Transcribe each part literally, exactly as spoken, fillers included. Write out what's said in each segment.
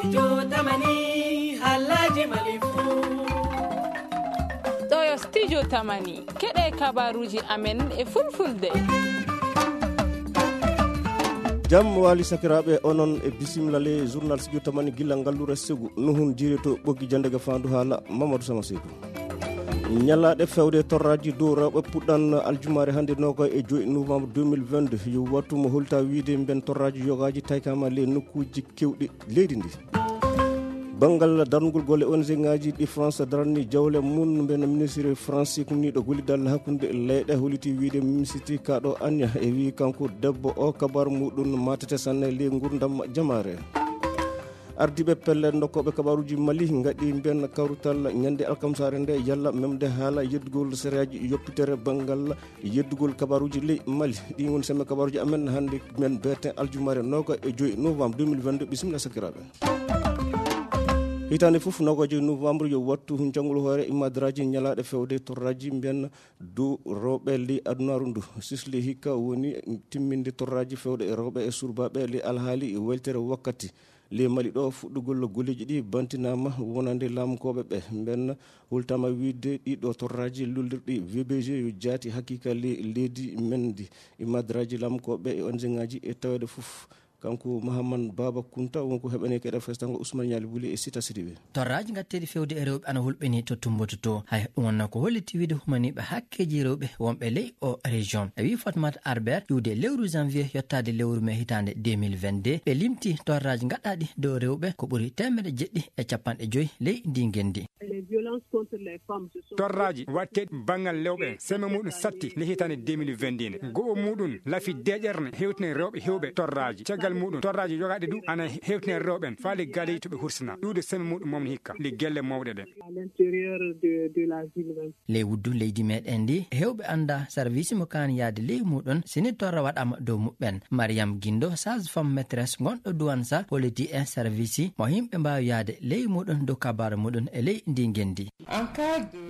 Studio Tamani, halaji Mali fu. Ɗo yo Studio Tamani, keɗe kabaruji amen e fulfulde. Jam wali sakiraɓe, onon e bisimilla le journal Studio Tamani gilla ngallure segu. Nuhun jiri to ɓoggi jandege fandu hala Mamadou Sama Seydou. Ñalaɗe fewde torraji dow rewɓe puɗɗan aljumare hande noga e joyi novembre deux mille vingt-deux. Yo wattu mo holta wiide mben torraji yogaji taykama le nokkuji kewɗi leydi ndi. Banngal darnugol golle O N G ngaji ɗi France darani jawle mum, mben ministre France kumniɗo gollidal hakkunde leyɗe holiti wiide minisiti kaɗo Anya e wi kanko debbo o kabar muɗum matete sanne le ngurdam jamare. Ardiiɓe pelle nokkoɓe kabaruji Mali ngaɗi mben kawrutal ñande alkamsare nde yalla memde haala yeddugol sereyaji yoppitere banngal yeddugol kabaruji ley Mali. Ɗi woni semme kabaruji amen hande men beten aljumare noga e joyi novembre deux mille vingt-deux. Bisimilla sakiraɓe. Hitande fof noga e joyi novembre yo wattu jangol hoore imadaraji ñalaɗe fewde torraji mbiyan dow rewɓe ley adunaru ndu. Sisli hikka woni timminde torraji fewde e rewɓe e surbaɓe ley alhaali weltere wakkati. Ley Mali ɗo fuɗɗugol golleji ɗi bantinama wonande laamukoɓe ɓe. Mben hultama wiide ɗiɗo torraji lullirɗi V B G yo jaati haqiqa ley leydi men ndi. Imadaraji laamukoɓe e O N G ngaji e tawede fof. Kanko Mahamman Baba Kunta wonko heɓani keɗe festango Ousmane Ñali Wuli e Sita Sidibe. Torraji gatteɗi fewde e rewɓe ana hulɓini to Tumbutu to. Hay ɗum wonno ko holliti wiide humaniɓe hakkeji rewɓe wonɓe ley o région. E wi Fatmata Arbert iwde lewru janvier yottade lewru mai hitande deux mille vingt-deux, ɓe limti torraji gaɗɗaɗi dow rewɓe ko ɓuri teemedde jeɗɗi e capanɗe joyi ley ndi ngendi. Torraji watteɗi banngal lewɓe seme muɗum satti le hitande deux mille vingt-deux nde. Go'o muɗum lafi deƴerne hewtine rewɓe hewɓe torraji. Caggal muɗum torraji yogaɗe du ana hewtine rewɓe en faali galeji to ɓe hursina. Ɗuuɗe seme muɗum momni hikka le gelle mawɗe ɗe. Ley wuddu leydi meɗen ndi, hewɓe anda service mo kaani yaade ley muɗum, sini torra waɗama dow muɓɓen. Mariam Gindo, sage femme maîtresse gonɗo Duwansa, holliti en service mo yimɓe mbawi yaade ley muɗum dow kabaru muɗum e ley ndi ngendi.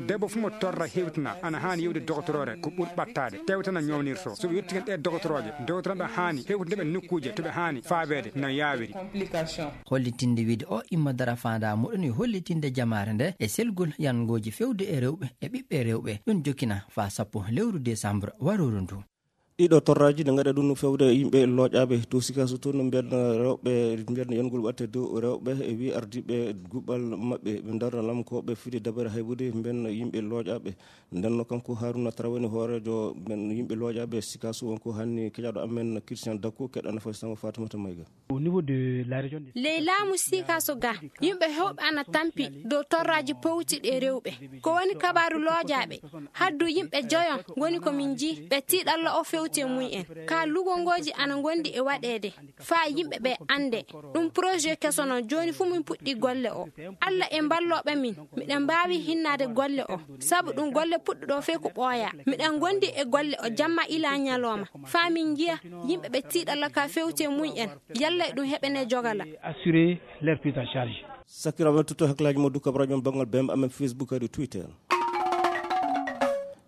Debbo fu mo torra hewtina ana hani yewde dogotorore ko ɓuri ɓattade tewtana ñownirto. So ɓe yetti hen ɗe dogotorooje, dogotorooɓe hani hewtinde ɓe nokkuuje to ɓe hani faabede no yawiri. Hollitinde wiide o imma dara faanda muɗum yo hollitinde jamaare nde e selgol yangooji fewde e rewɓe e ɓiɓɓe rewɓe. Ɗum jokkina faa sappo lewru décembre warooru ndu. Ɗiɗo torraji ne gaɗa ɗum fewde yimɓe looƴaaɓe to Sikaso to no mbiyan rewɓe, mbiyan yangol watte dow rewɓe e wi ardiiɓe guɓal maɓɓe ɓe darna lamkooɓe fidi dabare haybude mbiyan yimɓe looƴaaɓe. Nden no kanko Haruna Tara woni hooreejo men yimɓe looƴaaɓe Sikaso wonko hanni keƴaɗo amen Christian Dakko keɗana fay sango Fatimata Mayga. Au niveau de la région de Ley laamu Sikaso ga, yimɓe hewɓe ana tampi dow torraji powti ɗe rewɓe. Ko woni kabaru looƴaaɓe? Haddu yimɓe joyon ngoni ko min jii ɓe tiiɗalla o fewti e mum en. Ka lugongooji ana ngondi e waɗeede faa yimɓe ɓe annde. Ɗum projet keso non, jooni fu min puɗɗi golle o. Alla e mballooɓe min, miɗen mbaawi hinnaade golle o. Sabu ɗum golle puɗɗuɗo fey ko ɓooya. Miɗen ngondi e golle o jamma ila ñalooma. Faa min njiya yimɓe ɓe tiiɗalla ka fewti e mum en. Yalla e ɗum heɓene jogala. Assurer leur prise en charge. Sakiraaɓe men, totto hakkilaaji mo dukka baraji mon banngal B M amen Facebook kadi Twitter.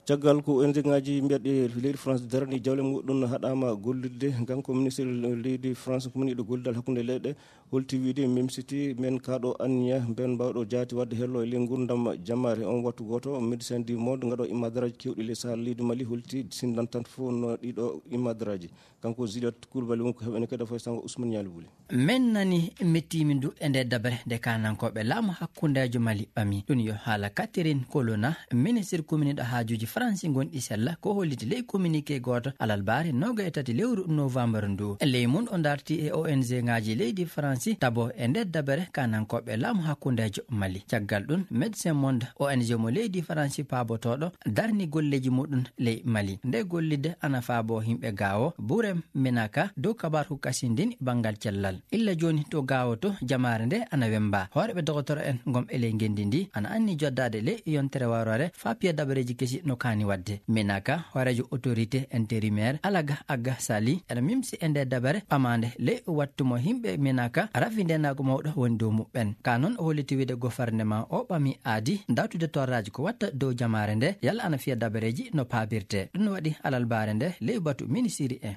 Caggal ko O N G ngaji mbiyaɗi leydi France darani jawle muɗum haɗama gollidde, kanko ministre leydi France ko moniɗo gollidal hakkunde leyɗe holti wiide memsiti men kaɗo anniya ben mbawɗo jaati wadde hello e ley ngurdam jammaare on wattu goto Médecins du Monde ngaɗo imadaraji kewɗi ley sahara leydi Mali holti sindantan fof no ɗiɗo imadaraji. Kanko Juliette Coulibaly wonko heɓene kadi fof sango Ousmane Ñaali Wuli. Min nani mettiimi ndu e nde dabere nde kaanankooɓe laamu hakkundeejo Mali ɓami. Ɗum yo haala Catherine Colonna, ministre kuminiiɗo haajuuji Faransi gonɗi sella, ko holliti ley communiqué gooto alarbaare noga e tati lewru novembre ndu. Ley mum o darti e O N G ngaji leydi Faransi tabo e nde dabere kaanankooɓe laamu hakkundeejo Mali. Caggal ɗum, Médecins du Monde, O N G mo leydi Faransi paabotooɗo, darni golleeji muɗum ley Mali. Nde gollidde ana faabo yimɓe Gaawo, Burem, Menaka, dow kabaru kasindin banngal cellal. Illa jooni to Gaawo to jamaare nde ana wemba. Hooreeɓe dogotoro en gom e ley ngenndi ndi ana anni joddaade ley yontere warore faa piya dabareeji kesi no kaani waɗde. Menaka, hooreejo autorité intérimaire, Alaga Agga Sali, ena mimsi e nde dabare ɓamaande ley wattu mo yimɓe Menaka rafi ndeenaagu mawɗo woni dow muɓɓen. Ka noon o holliti wiide gouvernement o ɓami aadi dartude torraaji ko watta dow jamaare nde yalla ana fiya dabareeji no paabirte. Ɗum waɗi alarbaare nde ley batu minisiri en.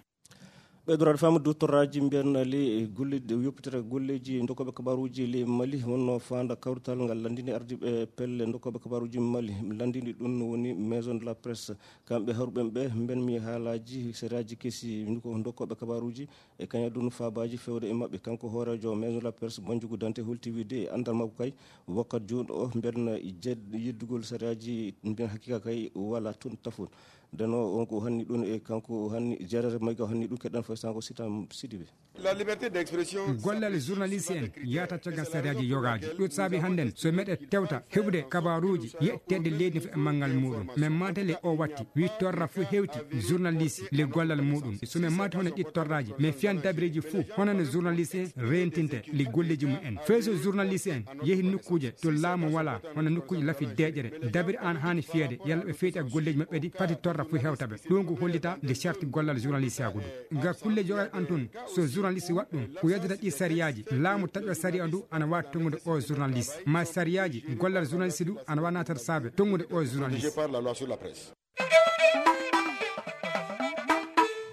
Ɓeydoraade faamu du torraaji mbiyan ley golleeji, yoppitere golleeji dokkooɓe kabaaruuji ley Mali, wonnoo faanda kawrital ngal lanndini ardiiɓe pelle dokkooɓe kabaaruuji Mali. Lanndini ɗum woni Maison de la Presse. Kamɓe haruɓe ɓe mbiyan mi haalaaji, sariyaaji kesi, ko dokkooɓe kabaaruuji e kañadun faabaaji fewde e maɓɓe. Kanko hooreejo Maison de la Presse, Banjugu Dante, holti wiide e anndal makko kay, wakkat jooni o mbiyan jed-, yeddugol sariyaaji mbiyan hakiika kay wala toon tafon. Ndeno on ko hanni ɗum e kanko hanni, Gérard Maïga hanni ɗum keɗan fay sango Sitam Sidibe. La liberté d'expression. Gollal journaliste en yahata caggal sariyaaji yogaaji. Ɗum saabi hannden so meɗe tewta heɓude kabaaruuji yetteede leydi fof e manngal muɗum. Men maatale o watti, wi torra fof hewti journaliste le gollal muɗum. So men maati hono ɗi torraaji, men fiyan dabireeji fof, hono no journaliste en rentinte le golleeji mum en. Fay so journaliste en yehi nokkuuje to laamu wala, hono nokkuuje lafi deeƴere, dabiri an haani fiyeede, yalla ɓe feyti e golleeji maɓɓe ɗi, fati torra fof hewta ɓe. Ɗum ko hollita le charte gollal journaliste agudu. Nga kulle jogaade an tun, so journaliste waɗ ɗum, ko yeddude ɗi sariyaaji, laamu taƴo sariya ndu ana waawi tongude o journaliste. Ma sariyaaji, gollal journaliste ndu ana waawi naatata saabe tongude o journaliste. Protégé par la loi sur la presse.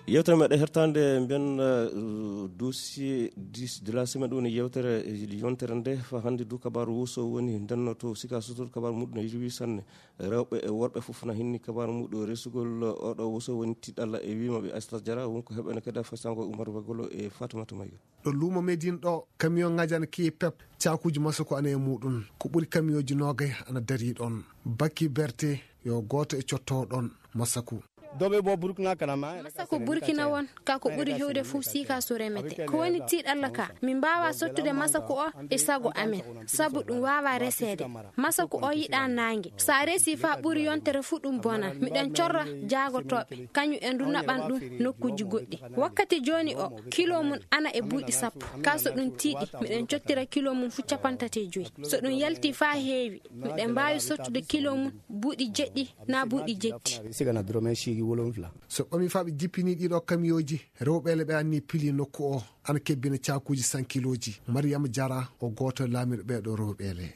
Yewtere meɗen hertande mbiyan, uh, dossier dix de la semaine, ɗum woni yewtere, eh, yontere nde. Fa hannde du kabaaru wuso woni ndenno to Sika Sotor, kabaaru muɗum ne yewi sanne. Rewɓe e worɓe fof na hinni kabaaru muɗum resugol oɗo wuso woni tiɗalla e wima ɓe Aissatou Diarra, wonko heɓene kadi a fasango Oumar Bagolo e Fatoumata Maïga. Ɗo luumo Médine ɗo, camion ŋaaji ana keewi pep, caakuuji masako ana e muɗum. Ko ɓuri camion ji noogay ana darii ɗon. Bakki Berte yo gooto e cottoowo ɗon masako. Dobe bo Burkina kana ma. Masako Burkina won, ka ko ɓuri hewde fof siika so remete. Ko woni tiiɗalla ka, min mbaawa sottude masako o e sago amen, sabu ɗum waawa reseede. Masako o yiɗa naange. So a resi fa ɓuri yontere fof ɗum bona. Miɗen corra jaagotooɓe, kañum en du naɓan ɗum nokkuuji goɗɗi. Wakkati jooni o, kilo mum ana e buuɗi sappo. Ka so ɗum tiiɗi, miɗen cottira kilo mum fof capanɗe tati e joy. So ɗum yalti fa heewi, miɗen mbaawi sottude kilo mum buuɗi jeɗɗi na buuɗi jetti. Sigana doromen siigi wolonfla. So ɓami fa ɓe jippini ɗiɗo kamiyooji, rewɓe le ɓe anni pili nokku o, ana kebbina caakuuji sankilooji. Mariama Jara o gooto laamiiɗo ɓeeɗo rewɓe le.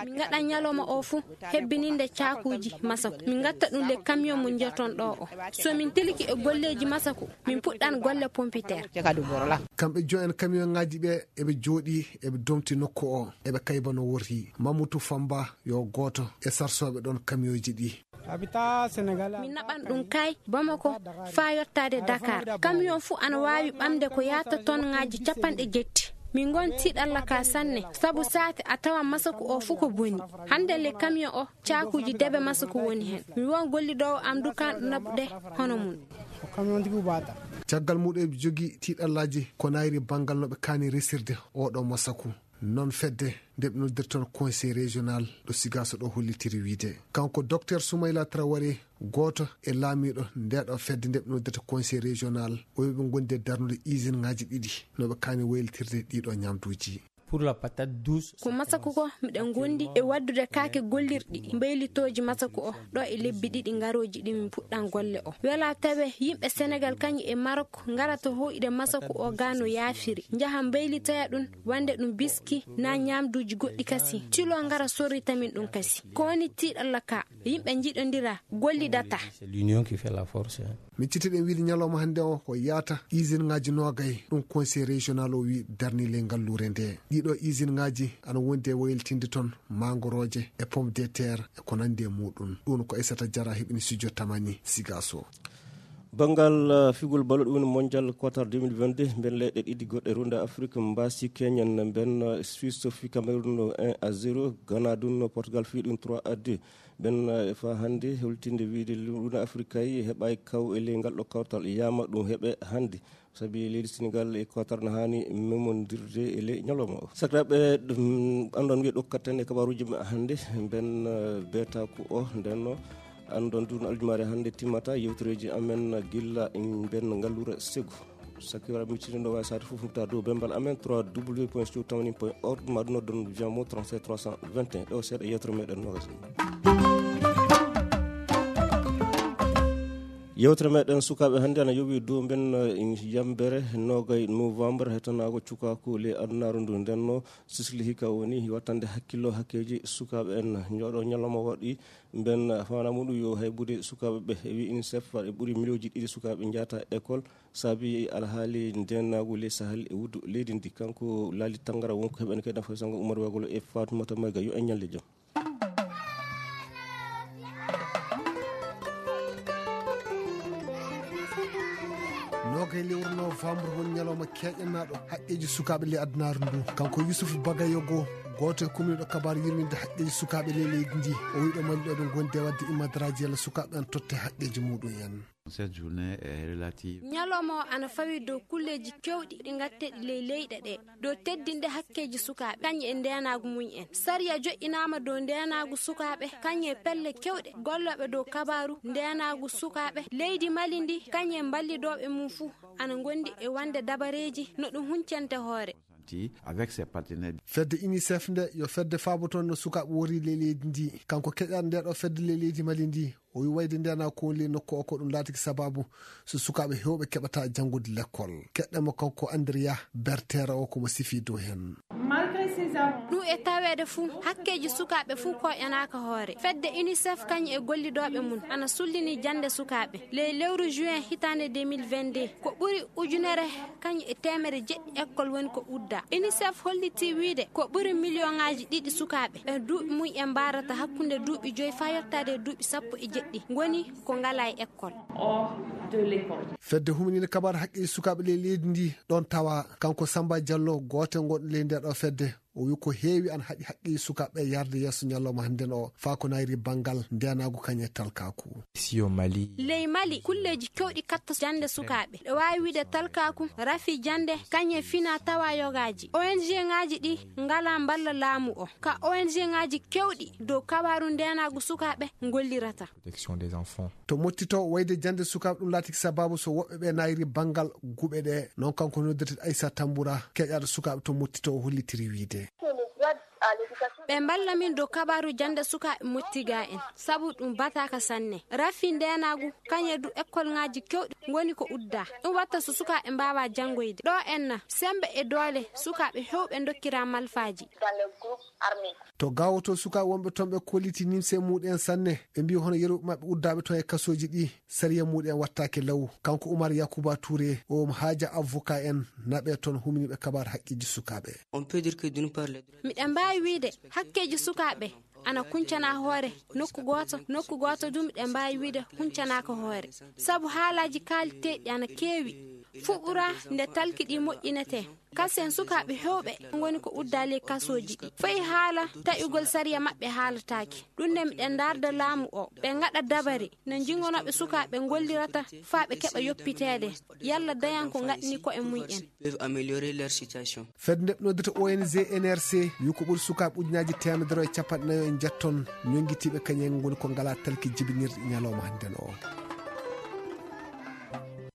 Min ngaɗa ñalawma o fof hebbininde caakuuji masako. Min ngatta ɗum le camion mo njeton ɗo o. So min tiliki e golleeji masako, min puɗɗan golle pompiteer. Kamɓe jo'en camion ŋaaji ɓe, eɓe jooɗi, eɓe domti nokku o, eɓe kayba no worri. Mamutu Famba yo gooto e sarsooɓe ɗon camion ji ɗi. Min naɓan ɗum kay Bamako faa yottaade Dakar. Camion fuu ana waawi ɓamde ko yaata ton ŋaaji capanɗe jetti. Min ngon tiiɗalla ka sanne, sabu saate a tawan masaku o fuu ko boni. Hannde le camion o, caakuuji debe masaku woni hen. Mi won gollidoowo am du kanɗo naɓude hono mum. Caggal muɗum eɓe jogi tiiɗallaaji ko nayri banngal no ɓe kaani resirde oɗo masaku. Non fedde nde ɓe noddirta Conseil Régional ɗo Sigaso ɗo hollitiri wiide. Kanko Docteur Soumaïla Traoré, gooto e laamiiɗo nde ɗo fedde nde ɓe noddirta Conseil Régional, o wi'i ɓe ngondi e darnude usine ŋaaji ɗiɗi no ɓe kaani waylitirde ɗiɗo ñamduuji. Pour la patate douce. Ko masaku ko miɗen ngondi e waddude kaake gollirɗi mbaylitooji masaku o ɗo e lebbi ɗiɗi ngarooji ɗi min puɗɗan golle o. Wela tawe yimɓe Senegal kañum e Marok ngarata hoyɗude masaku o ga no yaafiri. Njaha mbaylitoya ɗum, wande ɗum biski na ñamduuji goɗɗi kasi. Tilo ngara sorrita min ɗum kasi. Ko woni tiiɗalla ka? Yimɓe njiɗondira, gollidata. C'est l'union qui fait la force, hein. Min citti ɗen wiide ñalawma hannde o ko yaata usine ŋaaji noogay, ɗum Conseil Régional o wi darni ley ngalluure nde. Ɗiɗo usine ŋaaji ana wondi e waylitinde ton mangorooje e pomme de terre e ko nandi e muɗum. Ɗum ko Aissata Diarra heɓini studio Tamani Sigaso. Banngal, eh, figol balo ɗum woni Mondial Qatar deux mille vingt-deux, mben leyɗe ɗiɗi goɗɗe runda Afrique mbaasi Kenya, mben, eh, Suisse fi Cameroun un à zéro, Ghana ɗum Portugal fi ɗum trois à deux. Mben, eh, fa hannde holtinde wiide runda Afrique kay heɓaay kaw e ley ngal ɗo kawtal yama ɗum heɓe hannde. Sabi leydi Senegal e Qatar na haani memondirde e ley ñalawma o. Sakiraaɓe, ɗum anndon wiye ɗokkaten e kabaaruuji men hannde, mben, eh, beetaaku o, nden no anndon du no aljumaare hannde timmata yewtereeji amen gilla mben ngalluure segu. Sakiraaɓe, mi cindo waawi saade fof fuɗta dow bembal amen trois W point studio tamani point org, ma ɗum noddon via mo trente-sept trois cent vingt et un. Ɗo seeɗa yewtere meɗen nogas. Yewtere meɗen sukaaɓe hannde ana yowi dow mben, eh, yambere nogay novembre, hetanaago cukaaku ley adunaaru ndu. Nden no sisli hika woni wattande hakkillo hakkeeji sukaaɓe en. Ñooɗo ñalawma waɗi mben fana muɗum yo haybude sukaaɓe ɓe. E wi UNICEF, e ɓuri miliyonji ɗiɗi sukaaɓe njata école, saabi alhaali ndeenaagu ley Sahel e wuddu leydi ndi. Kanko Laali Tangara wonko heɓen kadi nafa sango Umar Wagolo e Fatoumata Mayga. Yo en ñalle jam. Nogay lewru novembre woni ñalawma keeƴanaaɗo haqqeeji sukaaɓe ley adunaaru ndu. Kanko Yusuf Bagayogo, gooto e kumniiɗo kabaaru yurminde haqqeeji sukaaɓe ley leydi ndi, o wiɗo maliɗo ɓe gondi e wadde immadaraaji yalla sukaaɓe an totte haqqeeji muɗum en. Cette journée est relative. Ñalawma o ana fawi dow kulleeji kewɗi ɗi ngatteɗi ley leyɗe ɗe, dow teddinde hakkeeji sukaaɓe kañum e ndeenaagu mum en. Sariya joƴƴinaama dow ndeenaagu sukaaɓe kañum e pelle kewɗe gollooɓe dow kabaaru ndeenaagu sukaaɓe. Leydi Mali ndi kañum e mballidooɓe mum fuu ana ngondi e wande dabareeji no ɗum huncante hoore. Avec ses partenaires. Fedde UNICEF nde yo fedde faabotoonde no sukaaɓe wori ley leydi ndi. Kanko keƴaɗo nde ɗo fedde ley leydi Mali ndi, o wi wayde ndena ko woni ley nokku o ko ɗum laatiki sababu so sukaaɓe heewɓe keɓata janngude lekkol. Keɗɗen mo kanko Andrea Bertera o ko mo sifi dow heen. Ɗum e taweede fuu, hakkeeji sukaaɓe fuu koƴanaaka hoore. Fedde UNICEF kañum e gollidooɓe mum ana sullini jannde sukaaɓe. Ley lewru juin hitaande deux mille vingt-deux, ko ɓuri ujunere kañum e teemere jeɗɗi école woni ko udda. UNICEF holliti wiide ko ɓuri miliyonŋaaji ɗiɗi sukaaɓe ɓe duuɓi mum en mbarata hakkunde duuɓi joyi faa yottaade e duuɓi sappo e jeɗɗi ngoni ko ngalaa e école. Fedde humininde kabaaru haqqeeji sukaaɓe ley leydi ndi ɗon tawa kanko Samba Diallo, gooto e gonɗo ley nde ɗo fedde. O wi ko heewi ana haɗi haqqeeji sukaaɓe yarde yeeso ñalawma hannde o, faa ko nayri banngal ndeenaagu kañum e talkaaku. Si yo Mali. Ley Mali, kulleeji kewɗi katta jannde sukaaɓe. Ɗo waawi wiide talkaaku, rafi jannde, kañum e fina tawa yogaaji. O N G ŋaaji ɗi ngalaa mballa laamu o. Ka O N G ŋaaji kewɗi dow kabaaru ndeenaagu sukaaɓe ngollirata. Protection des enfants. To mottito wayde jannde sukaaɓe ɗum laatiki sababu so woɓɓe ɓe nayri banngal guɓe ɗe. Noon kanko noddirte Aissa Tamboura, keƴaɗo sukaaɓe to mottito o hollitiri wiide. Ɓe mballa min dow kabaaru jannde sukaaɓe mottiga en, sabu ɗum bataaka sanne. Rafi ndeenaagu, kañum e du école ŋaaji kewɗi ngoni ko udda. Ɗum watta so sukaaɓe mbaawa janngoyde. Ɗo enna, semmbe e doole sukaaɓe heewɓe ndokkira malfaaji. To gawoto sukaaɓe wonɓe toon ɓe kolliti nimse muɗum en sanne. Ɓe mbi hono yeru maɓɓe uddaaɓe toon e kasooji ɗi. Sariya muɗum en wattaake law. Kanko Umar Yakuba Touré, o omo haaja avocat en, naɓe toon huminiiɓe kabaaru haqqeeji sukaaɓe. On peut dire que d'une part, les droits. Miɗen mbaawi wiide hakkeeji sukaaɓe ana kuncana hoore nokku gooto, nokku gooto du miɗen mbaawi wiide huncanaaka hoore. Sabu haalaaji kaaliteeɗi ana keewi. Fuɓɓura nde talki ɗi moƴƴinetee. Kasen sukaaɓe heewɓe ngoni ko uddaali e kasooji ɗi. Fayi haala taƴugol sariya maɓɓe haalataake. Ɗum nde miɗen ndaarda laamu o. Ɓe ngaɗa dabare no njingonooɓe sukaaɓe ngollirata faa ɓe keɓa yoppiteede. Yalla dañan ko ngaɗni ko'e mum en. Peuvent améliorer leur situation. Fedde nde ɓe noddata O N G N R C wi ko ɓuri sukaaɓe ujunaaji teemedere e capanɗe nayo e njetton ñonngitiiɓe kañum en ngoni ko ngalaa talki jibinirɗi ñalawma hannden o.